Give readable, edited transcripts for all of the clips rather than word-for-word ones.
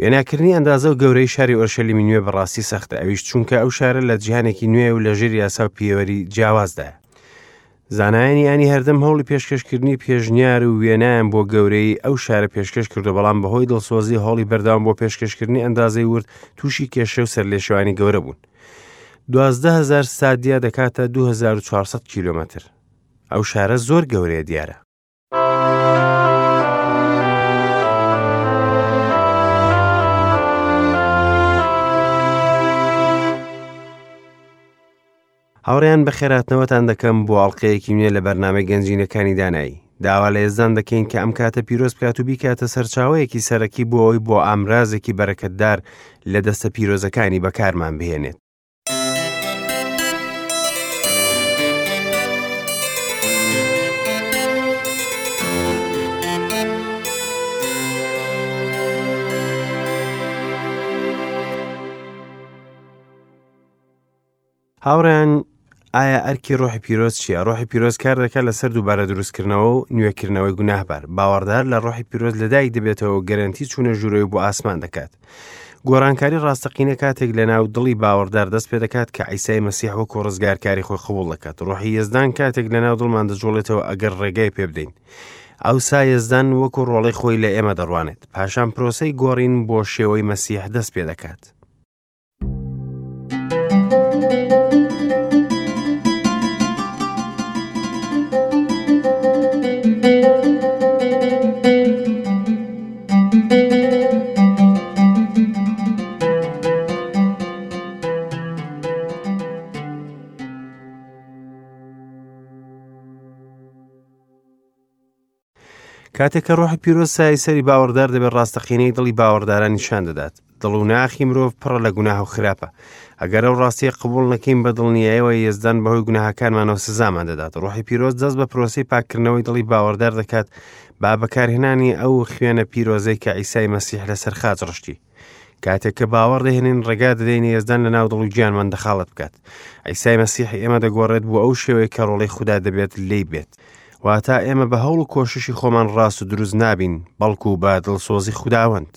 وێناکردنی ئەندازە و گەورەی شاری ئۆرشەلیمی نوێ بەڕاستی سەختە، ئەویش چونکە ئەو شارە لە جیهانێکی نوێ و لەژێر یاسا و پێوەری جیاوازدایە. زانایانی ئانی هەردەم هەوڵی پێشکەشکردنی پێشنیار و وێنایان بۆ گەورەی ئەو شارە پێشکەش کردو، بەڵام بەهۆی دڵسۆزی هەوڵی بەردەوام بۆ پێشکەشکردنی ئەندازەی ورد تووشی کێشە و سەرلێشێوانی گەورە بوون. 12,000 ستادیا دەکاتە 2400 کیلۆمەتر. ئەو شارە زۆر گەورەیە دیارە. هاوڕێیان بەخێراتنەوەتان دەکەم بۆ ئەڵلقەیەکی نوێ لە بەرنامەی گەنجینەکانی دانایی. داوا لە یەزدان دەکەین کە ئەم کاتە پیرۆز بکات و بیکاتە سەرچاوەیەکی سەرەکی بۆ ئەوەی بۆ ئامرازێکی بەرەکەتدار لە دەستە پیرۆزەکانی بەکارمان بهێنێت. هاوڕێیان ئایا ئەرکی ڕۆحی پیرۆز چییە؟ ڕۆحی پیرۆز کار دەکات لەسەر دووبارە دروستکردنەوە و نوێکردنەوەی گوناهبار. باوەڕدار لە ڕۆحی پیرۆز لەدایک دەبێتەوە و گەرەنتی چوونە ژوورەوەی بۆ ئاسمان دەکات. گۆڕانکاری ڕاستەقینە کاتێک لە ناو دڵی باوەڕدار دەست پێ دەکات کە عیسای مەسیح وەکو ڕزگارکاری خۆی قبوڵ دەکات. ڕۆحی یەزدان کاتێک لە ناو دڵمان دەجوڵێتەوە ئەگەر ڕێگای پێ بدەین. ئەوسا یەزدان وەکو ڕۆڵەی خۆی لە ئێمە دەڕوانێت. پاشان پرۆسەی گۆڕین بۆ شێوەی مەسیح دەست پێ دەکات. کاتێک کە ڕۆحی پیرۆز سایەی سەری باوەڕدار دەبێت ڕاستەقینەی دڵی باوەڕداران نیشان دەدات. دڵ و ناخی مرۆڤ پڕە لە گوناه و خراپە. ئەگەر ئەو ڕاستیە قبوڵ نەکەین بە دڵنیایەوە یەزدان بەهۆی گوناهەکانمانەوە سزامان دەدات. ڕۆحی پیرۆز دەست بە پرۆسەی پاککردنەوەی دڵی باوەڕدار دەکات با بەکارهێنانی ئەو خوێنە پیرۆزەی کە عیسای مەسیح لەسەر خاچ ڕشتی. کاتێک کە باوەڕ دەهێنین ڕێگا دەدەین یەزدان لە ناو دڵ و گیانمان دەخاڵەت بکات. عیسای مەسیح ئێمە دەگۆڕێت بۆ ئەو شێوەیە کە ڕۆڵەی خودا دەبێت لێی بێت. واتا ئێمە بە هەوڵ و کۆششی خۆمان ڕاست و دروست نابین، بەڵکو بە دڵسۆزی خوداوەند.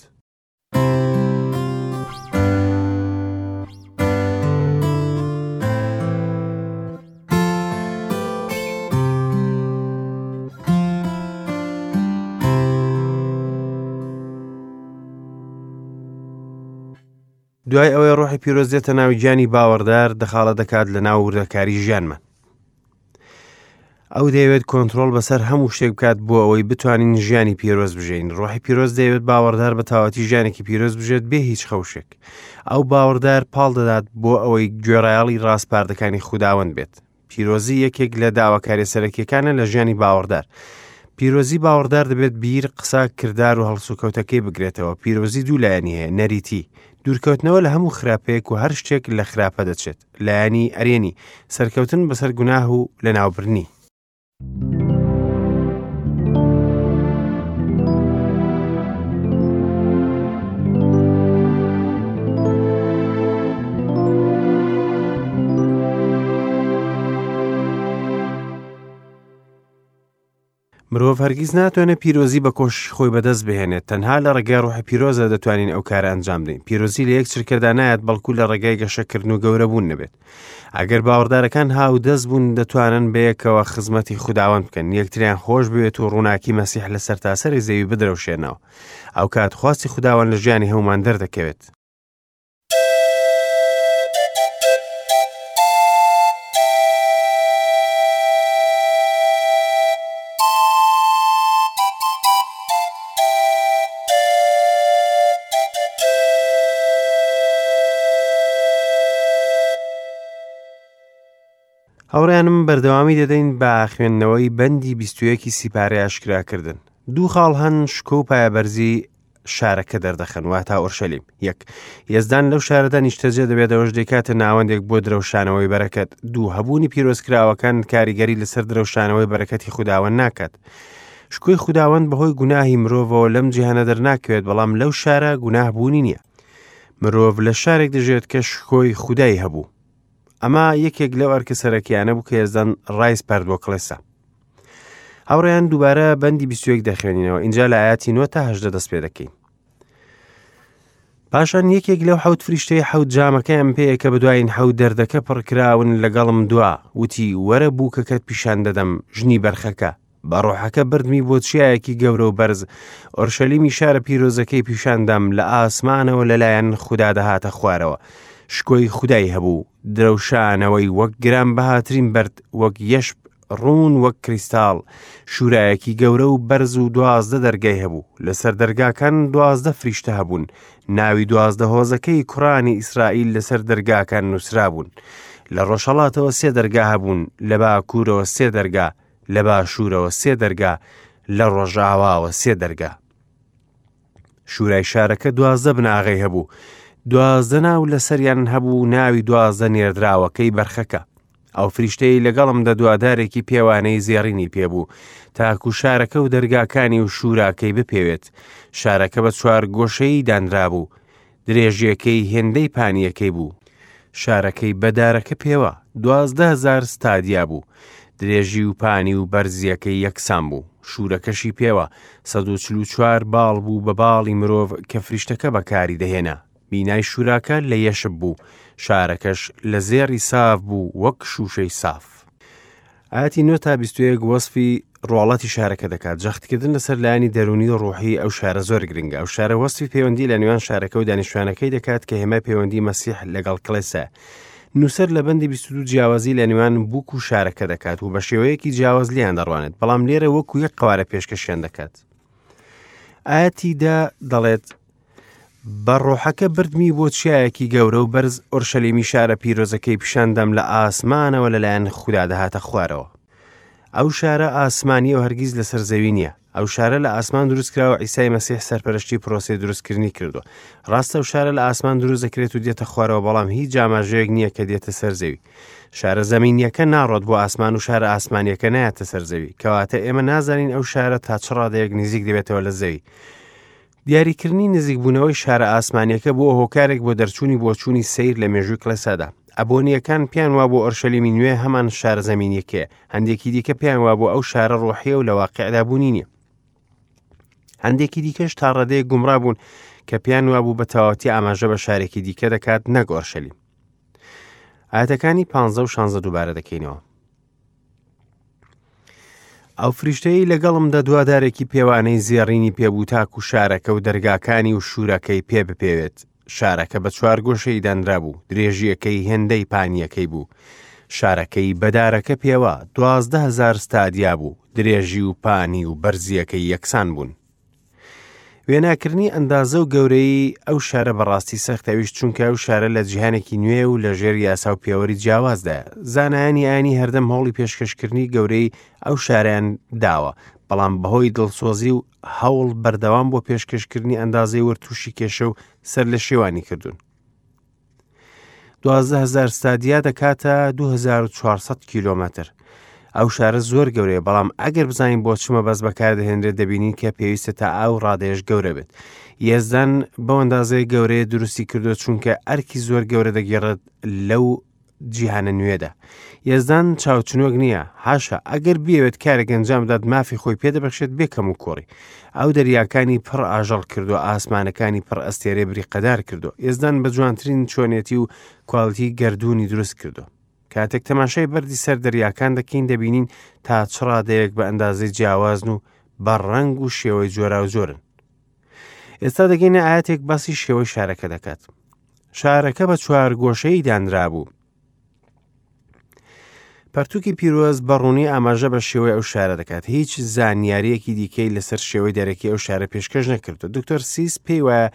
دوای ئەوەی ڕۆحی پیرۆز دێتە ناو گیانی باوەڕدار دەخاڵە دەکات لە ناو وردەکاری ژیانمان. ئەو دەیەوێت کۆنترۆڵ بەسەر هەموو شتێک بکات بۆ ئەوەی بتوانین ژیانی پیرۆز بژین. ڕۆحی پیرۆز دەیەوێت باوەڕدار بە تەواوەتی ژیانێکی پیرۆز بژێت بێ هیچ خەوشێک. ئەو باوەڕدار پاڵ دەدات بۆ ئەوەی گوێڕایەڵی ڕاسپاردەکانی خوداوەند بێت. پیرۆزی یەکێک لە داواکاریە سەرەکیەکانە لە ژیانی باوەڕدار. پیرۆزی باوەڕدار دەبێت بیر، قسە، کردار و هەڵسوکەوتەکەی بگرێتەوە. پیرۆزی دوو لایەنی هەیە، نەریتی، دوورکەوتنەوە لە هەموو خراپەیەک و هەر شتێک لە خراپە دەچێت. لایەنی ئەرێنی، سەرکەوتن بەسەر گوناه و لەناوبردنی. مرۆڤ هەرگیز ناتوانێت پیرۆزی بە کۆششی خۆی بەدەست بهێنێت، تەنها لە ڕێگای ڕۆحی پیرۆزە دەتوانین ئەو کارە ئەنجام بدەین. پیرۆزی لە یەک چرکەدا نایەت، بەڵکو لە ڕێگای گەشەکردن و گەورەبوون نەبێت. ئەگەر باوەڕدارەکان هاودەست بوون، دەتوانن بەیەکەوە خزمەتی خوداوەند بکەن، یەکتریان خۆش بوێت و ڕووناکی مەسیح لە سەرتاسەری زەوی بدرەوشێنەوە. ئەو کات خواستی خوداوەند لە ژیانی هەموومان دەردەکەوێت. هاوڕێیانم بەردەوامی دەدەین بە خوێندنەوەی بەندی بیستویەکی سیپارەی ئاشکراکردن. دوو خاڵ هەن شکۆ و پایەبەرزی شارەکە دەردەخەن، واتا ئۆرشەلیم. یەک، یەزدان لەو شارەدا نیشتەجێ دەبێت، ئەوەش دەیکاتە ناوەندێک بۆ درەوشانەوەی بەرەکەت. دوو، هەبوونی پیرۆزکراوەکان کاریگەری لەسەر درەوشانەوەی بەرەکەتی خوداوەند ناکات. شکۆی خوداوەند بەهۆی گوناهی مرۆڤەوە لەم جیهانە دەرناکەوێت، بەڵام لەو شارە گوناه بوونی نییە. مرۆڤ لە شارێک دەژێت کە شکۆی خودای هەبوو. ئەمە یەکێک لەو ئەرکە سەرەکیانە بوو کە یەزدان ڕایسپارد بۆ کڵێسا. هاوڕێیان دووبارە بەندی 21 دەخوێنینەوە، ئینجا لە ئاەتی 9 تا 18 دەست پێ دەکەین. پاشان یەکێک لەو حەوت فریشتەی حەوت جامەکەیان پێیە کە بەدواین حەوت دەردەکە پڕکراون لەگەڵم دوا، وتی، وەرە بووکەکەت پیشان دەدەم، ژنی بەرخەکە. بە ڕۆحەکە بردمی بۆ چیایەکی گەورە و بەرز، ئۆرشەلیمی شارە پیرۆزەکەی پیشاندام لە ئاسمانەوە لەلایەن خودا دەهاتە خوارەوە. شکۆی خودای هەبوو، درەوشانەوەی وەک گرانبەهاترین بەرد، وەک یەشب ڕوون وەک کریستاڵ، شوورایەکی گەورە و بەرز و 12 دەرگای هەبوو. لەسەر دەرگاکان 12 فریشتە هەبوون، ناوی 12 هۆزەکەی کوڕانی ئیسرائیل لەسەر دەرگاکان نووسرابوون. لە ڕۆژهەڵاتەوە سێ دەرگا هەبوون، لە باکوورەوە سێ دەرگا، لە باشوورەوە سێ دەرگا، لە ڕۆژاواوە سێ دەرگا. شورای شارەکە 12 بناغەی هەبوو، 12 ناو لەسەریان هەبوو ناوی 12 نێردراوەکەی بەرخەکە. ئەو فریشتەی لەگەڵم دەدوا دارێکی پێوانەی زێڕینی پێبوو، تاکو شارەکە و دەرگاکانی و شوراکەی بپێوێت. شارەکە بە چوار گۆشەیی دانرابوو، درێژیەکەی هێندەی پانیەکەی بوو. شارەکەی بە دارەکە پێوا، 12,000 ستادیا بوو. درێژی و پانی و بەرزیەکەی یەکسان بوو. شوورەکەشی پێوا، 144 باڵ بوو بە باڵی مرۆڤ کە فریشتەکە بەکاری دەهێنا. بینای شووراکە لە یەشب بوو، شارەکەش لە زێڕی ساف بوو وەک شووشەی ساف. ئایەتی 9 تا 21 وەسفی ڕواڵەتی شارەکە دەکات. جەختکردن لەسەر لایەنی دەروونی و ڕوحی ئەو شارە زۆر گرنگە. ئەو شارە وەسفی پەیوەندی لە نێوان شارەکە و دانیشتوانەکەی دەکات کە هێمای پەیوەندی مەسیح لەگەڵ کڵێسایە. نووسەر لە بەندی 22 جیاوازی لە نێوان بووک و شارەکە دەکات و بە شێوەیەکی جیاواز لێیان دەڕوانێت، بەڵام لێرە وەکو یەک قەوارە پێشکەشیان دەکات. ئایەتی دە دەڵێت بە ڕۆحەکە بردمی بۆ چیایەکی گەورە و بەرز ئۆرشەلیمی شارە پیرۆزەکەی پیشاندام لە ئاسمانەوە لەلایەن خودا دەهاتە خوارەوە. ئەو شارە ئاسمانیە و هەرگیز لەسەر زەوی نییە. ئەو شارە لە ئاسمان دروستکراوە عیسای مەسیح سەرپەرشتی پرۆسەی دروستکردنی کردووە. ڕاستە ئەو شارە لە ئاسمان دروست دەکرێت و دێتە خوارەوە بەڵام هیچ ئاماژەیەک نییە کە دێتە سەر زەوی. شارە زەمینیەکە ناڕۆت بۆ ئاسمان و شارە ئاسمانیەکە نایەتە سەر زەوی. کەواتە ئێمە نازانین ئەو شارە تا چ ڕادەیەک نزیک دەبێتەوە لە زەوی. دیاریکردنی نزیکبوونەوەی شارە ئاسمانیەکە بووە هۆکارێک بۆ دەرچوونی بۆچوونی سەیر لە مێژووی کڵێسادا. ئەبۆنییەکان پێیان وابوو ئۆرشەلیمی نوێ هەمان شارە زەمینیەکەیە، هەندێکی دیکە پێیان وابوو ئەو شارە ڕۆحیە و لە واقعدا بوونی نییە. هەندێکی دیکەش تا ڕادەیەک گومڕا بوون کە پێیان وابوو بە تەواوەتی ئاماژە بە شارێکی دیکە دەکات نەک ئۆرشەلیم. ئاەتەکانی پ و 16 دووبارە دەکەینەوە. ئەو فریشتەیەی لەگەڵم دەدوا دارێکی پێوانەی زێڕینی پێبوو تاکو شارەکە و دەرگاکانی و شوورەکەی پێ بپێوێت. شارەکە بە چوار گۆشەی دانرابوو، درێژییەکەی هێندەی پانییەکەی بوو. شارەکەی بە دارەکە پێوا، 12,000 ستادیا بوو، درێژی و پانی و بەرزییەکەی یەکسان بوون. وێناکردنی ئەندازە و گەورەیی ئەو شارە بەڕاستی سەختە ئەویش چونکە ئەو شارە لە جیهانێکی نوێ و لە ژێر یاسا و پێوەری جیاوازدایە زانایانی ئاینی هەردەم هەوڵی پێشکەشکردنی گەورەی ئەو شارەیان داوە بەڵام بەهۆی دڵسۆزی و هەوڵ بەردەوام بۆ پێشکەشکردنی ئەندازەی ورد تووشی کێشە و سەر لە شێوانی کردوون. 12,000 ستادیا دەکاتە 2400 کیلۆمەتر. ئەو شارە زۆر گەورەیە بەڵام ئەگەر بزانین بۆ چ مەبەست بەکاردەهێنرێت دەبینین کە پێویستە تا ئەو ڕادەیەش گەورە بێت. یەزدان بەو ئەندازەیە گەورەیە دروستی کردووە چونکە ئەرکی زۆر گەورە دەگێڕێت لەو جیهانە نوێدا. یەزدان چاوچنۆک نییە، حاشا، ئەگەر بیەوێت کارێک ئەنجام بدات مافی خۆی پێدەبەخشێت بێ کەم و کۆڕی. ئەو دەریاکانی پڕ ئاژەڵ کردووە، ئاسمانەکانی پڕ ئەستێرەی بریقەدار کردووە. یەزدان بە جوانترین چۆنێتی و کوالیتی گەردوونی دروست کردووە. کاتێک تەماشای بەردی سەر دەریاکان دەکەین دەبینین تا چ ڕادەیەک بە ئەندازەی جیاوازن و بە ڕەنگ و شێوەی جۆراوجۆرن. ئێستا دەگەینە ئاەتێک باسی شێوەی شارەکە دەکات. شارەکە بە چوارگۆشەیی دانرابوو. پەرتوکی پیرۆز بە ڕوونی ئاماژە بە شێوەی ئەو شارە دەکات هیچ زانیاریەکی دیکەی لەسەر شێوەی دەرەکی ئەو شارە پێشکەش نەکردو دکتۆر سیس پێی وایە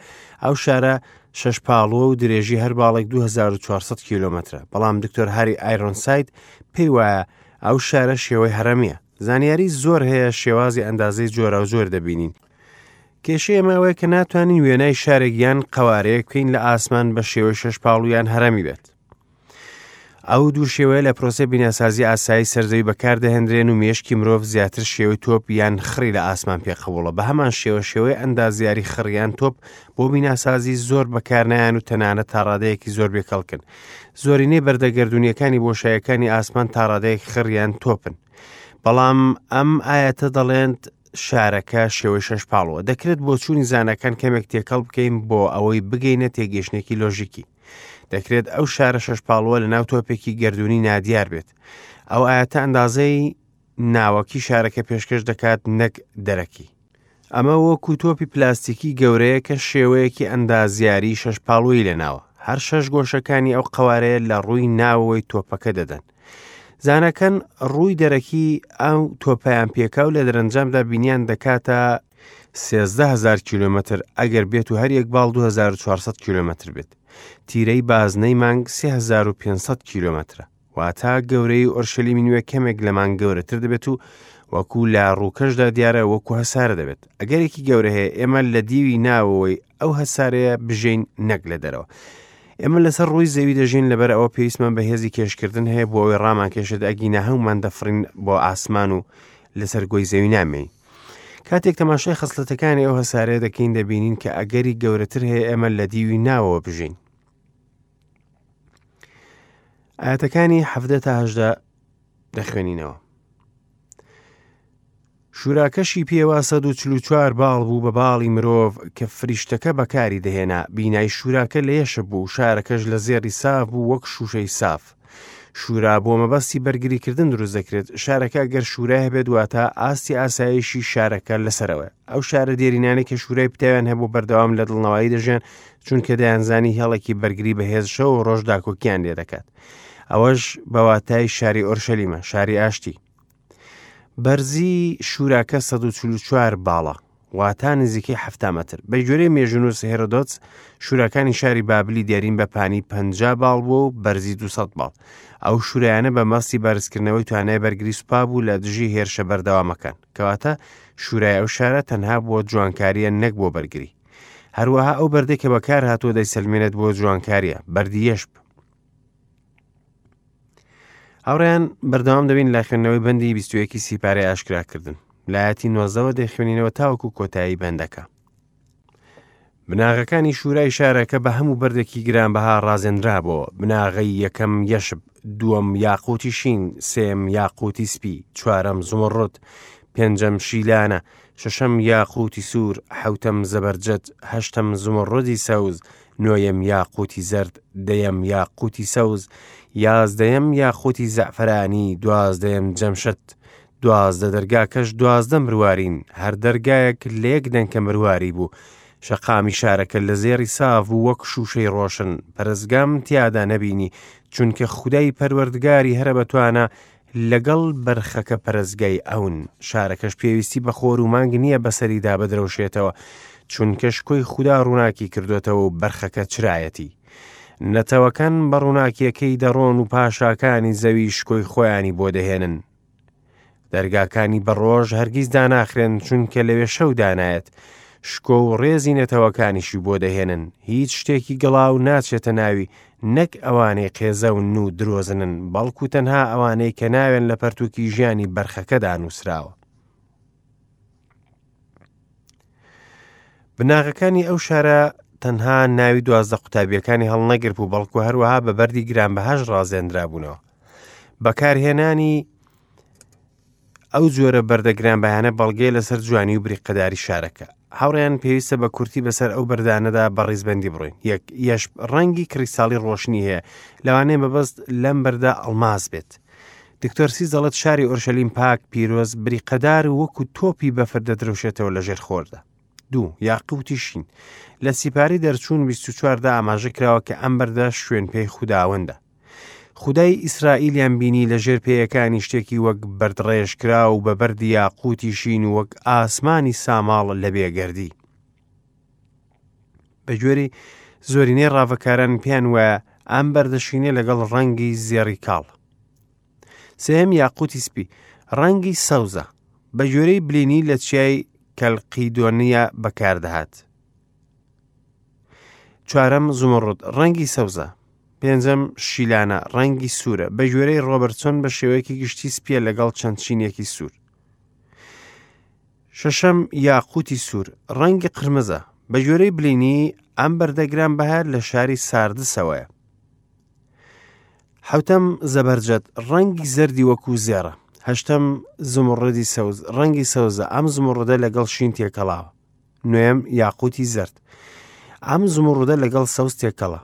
ئەو شارە شەش پاڵوە و درێژی هەر باڵێک 2400 کیلومترە بەڵام دکتۆر هاری ئایرۆنساید پێی وایە ئەو شارە شێوەی هەرەمیە زانیاری زۆر هەیە شێوازی ئەندازەی جۆراوجۆر دەبینین کێشەی ئێمە ئەوەیە کە ناتوانین وێنای شارێک یان قەوارەیەک بکەین لە ئاسمان بە شێوەی شەش پاڵو یان هەرەمی بێت. ئەو دوو شێوەیە لە پرۆسەی بیناسازی ئاسایی سەرزەوی بەکاردەهێنرێن و مێشکی مرۆڤ زیاتر شێوەی تۆپ یان خڕی لە ئاسمان پێ قبوڵە بە هەمان شێوە شێوەی ئەندازیاری خڕ یان تۆپ بۆ بیناسازی زۆر بەکارنایەن و تەنانەت تاڕادەیەکی زۆر بێکەڵکن زۆرینەی بەردە گەردوونیەکانی بۆشایەکانی ئاسمان تاڕادەیەک خڕ یان تۆپن بەڵام ئەم ئایەتە دەڵێنت شارەکە شێوەی شەش پاڵوە. دەکرێت بۆچوونی زاناکان کەمێک تێکەڵ بکەین بۆ ئەوەی بگەینە تێگەیشتنێکی لۆژیکی. دەکرێت ئەو شارە شەش پاڵوە لە ناو تۆپێکی گەردوونی نادیار بێت. ئەو ئاەتە ئەندازەی ناوەکی شارەکە پێشکەش دەکات نەک دەرەکی. ئەمە وەکو تۆپی پلاستیکی گەورەیە کە شێوەیەکی ئەندازیاری شەش پاڵووی لەناوە. هەر شەش گۆشەکانی ئەو قەوارەیە لە ڕووی ناوەوەی تۆپەکە دەدەن. زانەکان ڕووی دەرەکی ئەو تۆپیان پێکا و لە دەرەنجامدا بینیان دەکاتە 13,000 کیلومتر ئەگەر بێت و هەر یەک باڵ 2400 کیلومتر بێت. تیرەی بازنەی مانگ 3500 کیلومترە. واتا گەورەی ئۆرشەلیمی نوێ کەمێک لە مانگ گەورەتر دەبێت و وەکو لە ڕووکەشدا دیارە وەکو هەسارە دەبێت. ئەگەرێکی گەورە هەیە ئێمە لە دیوی ناوەوەی ئەو هەسارەیە بژین نەک لە دەرەوە. ئێمە لەسەر ڕووی زەوی دەژین لەبەر ئەوە پێویستمان بە هێزی کێشکردن هەیە بۆ ئەوەی ڕامان کێشێت ئەگینا هەمومان دەفڕین بۆ ئاسمان و لەسەر گۆی زەوی نامێین. کاتێک تەماشای خەسڵەتەکانی ئەو هەسارەیە دەکەین دەبینین کە ئەگەری گەورەتر هەیە ئێمە لە دیوی ناوەوە بژین. ئاەتەکانی حەفدە تا هەژدە دەخوێنینەوە. شوراکەشی پێوە 144 باڵ بوو بە باڵی مرۆڤ کە فریشتەکە بەکاری دەهێنا بینای شوراکە لە یەشب بوو شارەکەش لە زێڕی ساف بوو وەک شوشەی ساف شورا بۆ مەبەستی بەرگریکردن دروست دەکرێت شارەکە گەر شورای هەبێت واتە ئاستی ئاسایشی شارەکە لەسەرەوە ئەو شارە دێرینانەی کە شورای پتەویان هەبوو بەردەوام لە دڵنەوایی دەژیان چونکە دەیانزانی هێڵێکی بەرگری بەهێز شەو و ڕۆژ داکۆکیان لێ دەکات ئەوەش بەواتای شاری ئۆرشەلیمە شاری ئاشتی بەرزی شوراکە 144 باڵە واتا نزیکەی 70 مەتر بە گوێرەی مێژونووس هێرۆدۆتس شوراکانی شاری بابلی دێرین بە پانی 50 باڵ بووە و بەرزی 200 باڵ ئەو شورایانە بە مەستی بەرزکردنەوەی توانای بەرگری سوپا بوو لە دژی هێرشە بەردەوامەکان کەواتە شورای ئەو شارە تەنها بۆ جوانکاریە نەک بۆ بەرگری هەروەها ئەو بەردەی کە بەکار هاتووە دەیسەلمێنێت بۆ جوانکاریە بەردی یەشب هاوڕێیان بەردەوام دەبین لە خوێندنەوەی بەندی 21 سیپارەی ئاشکراکردن لایەتی نۆزەوە دەخوێنینەوە تاوەکو کۆتایی بەندەکە بناغەکانی شوورای شارەکە بە هەموو بەردێکی گرانبەها ڕازێنرابەوە بناغەی یەکەم یەشب دووەم یاقوتی شین سێم یاقوتی سپی چوارەم زمڕد پێنجەم شیلانە شەشەم یاقوتی سوور حەوتەم زەبەرجەد هەشتەم زمڕدی سەوز نۆیەم یاقوتی زەرد دەیەم یاقوتی سەوز یازدەیەم یاقوتی زەعفەرانی دوازدەیەم جەمشت 12 دەرگاکەش 12 مروارین هەر دەرگایەک لە یەک دەنکە مرواری بوو شەقامی شارەکە لە زێڕی ساف بوو وەک شووشەی ڕۆشن پەرستگام تیادا نەبینی چونکە خودای پەروەردگاری هەرە بەتوانا لەگەڵ بەرخەکە پەرستگای ئەون شارەکەش پێویستی بە خۆر و مانگ نییە بەسەریدا بدرەوشێتەوە چونکە شکۆی خودا ڕووناکی کردوێتەوە و بەرخەکە چرایەتی نەتەوەکان بە ڕووناکیەکەی دەڕۆن و پاشاکانی زەوی شکۆی خۆیانی بۆ دەهێنن دەرگاکانی بە ڕۆژ هەرگیز داناخرێن چونکە لەوێ شەو دانایەت شکۆ و ڕێزی نەتەوەکانیشی بۆ دەهێنن هیچ شتێکی گڵاو ناچێتە ناوی نەک ئەوانەی قێزەون و درۆزنن بەڵکو تەنها ئەوانەی کە ناوێن لە پەرتوکی ژیانی بەرخەکەدا نووسراوە بناغەکانی ئەو شارە تەنها ناوی 12 قوتابیەکانی هەڵنەگرت و بەڵکو هەروەها بە بەردی گرانبەهاش ڕازێنرابوونەوە بەکارهێنانی ئەو جۆرە بەردە گرانبەهانە بەڵگەیە لەسەر جوانی و بریقەداری شارەکە. هاوڕێیان پێویستە بە کورتی بەسەر ئەو بەردانەدا بە ڕیزبەندی بڕۆین. یەک، یەش ڕەنگی کریستاڵی ڕۆشنی هەیە، لەوانەیە مەبەست لەم بەردە ئەڵماس بێت. دکتۆر سیس دەڵێت شاری ئۆرشەلیم پاک، پیرۆز، بریقەدار و وەکو تۆپی بەفر دەدرەوشێتەوە لەژێر خۆردا. دوو، یاقوتی شین. لە سیپاری دەرچوون 24 دا ئاماژە کراوە کە ئەم بەردە شوێنپێی خوداوەندە. خودای ئیسرائیلیان بینی لە ژێر پێیەکانی شتێکی وەک بەردڕێژکراو و بە بەردی یاقووتی شین و وەک ئاسمانی ساماڵ لە بێگەردی. بە گوێرەی زۆرینەی ڕاڤەکاران پێیان وایە ئەم بەردە شینە لەگەڵ ڕەنگی زێڕی کاڵ. سێهەم یاقوتی سپی ڕەنگی سەوزە بە گوێرەی بلینی لە چیای کەلقیدۆنیا بەکاردەهات. چوارەم زمڕد ڕەنگی سەوزە پێنجەم شیلانە ڕەنگی سوورە بە گوێرەی ڕۆبەرتسۆن بە شێوەیەکی گشتی سپیە لەگەڵ چەند چینێکی سوور شەشەم یاقوتی سوور ڕەنگی قرمزە بە گوێرەی بلینی ئەم بەردەگران بەهار لە شاری ساردسەوەیە حوتەم زەبەرجەت ڕەنگی زەردی وەکو زێڕە. هەشتەم، زموڕدی سەوز، ڕەنگی سەوزە، ئەم زموڕدە لەگەڵ شین تێکەڵاوە. نۆیەم، یاقوتی زەرد. ئەم زموڕدە لەگەڵ سەوز تێکەڵە.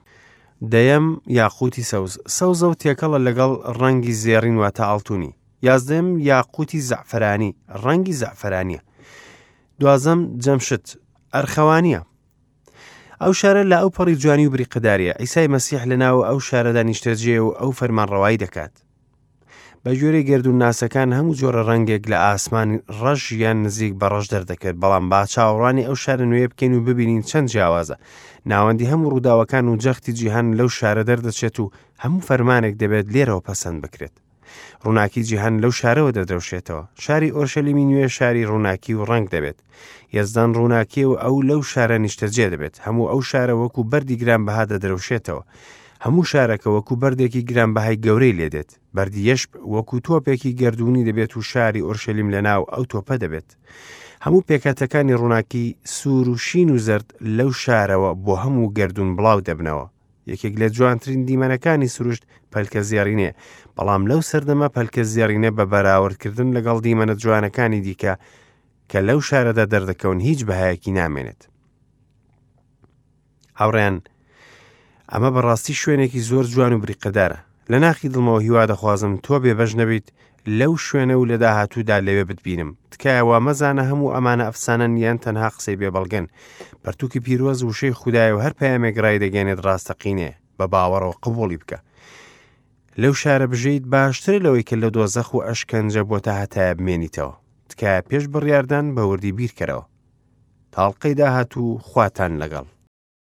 دەیەم، یاقوتی سەوز، سەوزە و تێکەڵە لەگەڵ ڕەنگی زێڕین واتە ئاڵتونی. یازدەیەم، یاقوتی زەعفەرانی، ڕەنگی زەعفەرانیە. دوازدەم، جەمشت، ئەرخەوانیە. ئەو شارە لە ئەو پەڕی جوانی و بریقەداریە. عیسای مەسیح لە ناو ئەو شارەدا نیشتەجێیە و ئەو فەرمانڕەوایی دەکات. بە گوێرەی گەردوونناسەکان هەموو جۆرە ڕەنگێک لە ئاسمان ڕەش یان نزیک بە ڕەش دەردەکەوێت، بەڵام با چاوەڕوانی ئەو شارە نوێیە بکەین و ببینین چەند جیاوازە. ناوەندی هەموو ڕووداوەکان و جەختی جیهان لەو شارە دەردەچێت و هەموو فەرمانێک دەبێت لێرەوە پەسەند بکرێت. ڕووناکی جیهان لەو شارەوە دەدرەوشێتەوە. شاری ئۆرشەلیمی نوێ شاری ڕووناکی و ڕەنگ دەبێت. یەزدان ڕووناکییە و ئەو لەو شارە نیشتەجێ دەبێت. هەموو ئەو شارە وەکو بەردی گرانبەها دەدرەوشێتەوە. هەموو شارەکە وەکو بەردێکی گرانبەهای گەورەی لێدێت. بەردی یەشب وەکو تۆپێکی گەردوونی دەبێت و شاری ئۆرشەلیم لەناو ئەو تۆپە دەبێت. هەموو پێکهاتەکانی ڕووناکی سوور و شین و زەرد لەو شارەوە بۆ هەموو گەردوون بڵاو دەبنەوە. یەکێک لە جوانترین دیمەنەکانی سروشت پەلکە زێڕینەیە، بەڵام لەو سەردەمە پەلکە زێڕینە بە بەراوردکردن لەگەڵ دیمەنە جوانەکانی دیکە کە لەو شارەدا دەردەکەون هیچ بەهایەکی نامێنێت. هاوڕێیان ئەمە بەڕاستی شوێنێکی زۆر جوان و بریقەدارە. لە ناخی دڵمەوە هیوا دەخوازم تۆ بێبەش نەبیت لەو شوێنە و لە داهاتوودا لەوێ بتبینم. تکایە وا مەزانە هەموو ئەمانە ئەفسانەن یان تەنها قسەی بێ بەڵگەن. پەرتووکی پیرۆز وشەی خودایە و هەر پەیامێک ڕایدەگەیەنێت ڕاستەقینەیە. بە باوەڕەوە قبوڵی بکە. لەو شارە بژیت باشترە لەوەی کە لە دۆزەخ و ئەشکەنجە بۆ تا هەتایە بمێنیتەوە. تکایە پێش بڕیاردان بە وردی بیرکەرەوە. تاڵقەی داهاتوو خواتان لەگەڵ.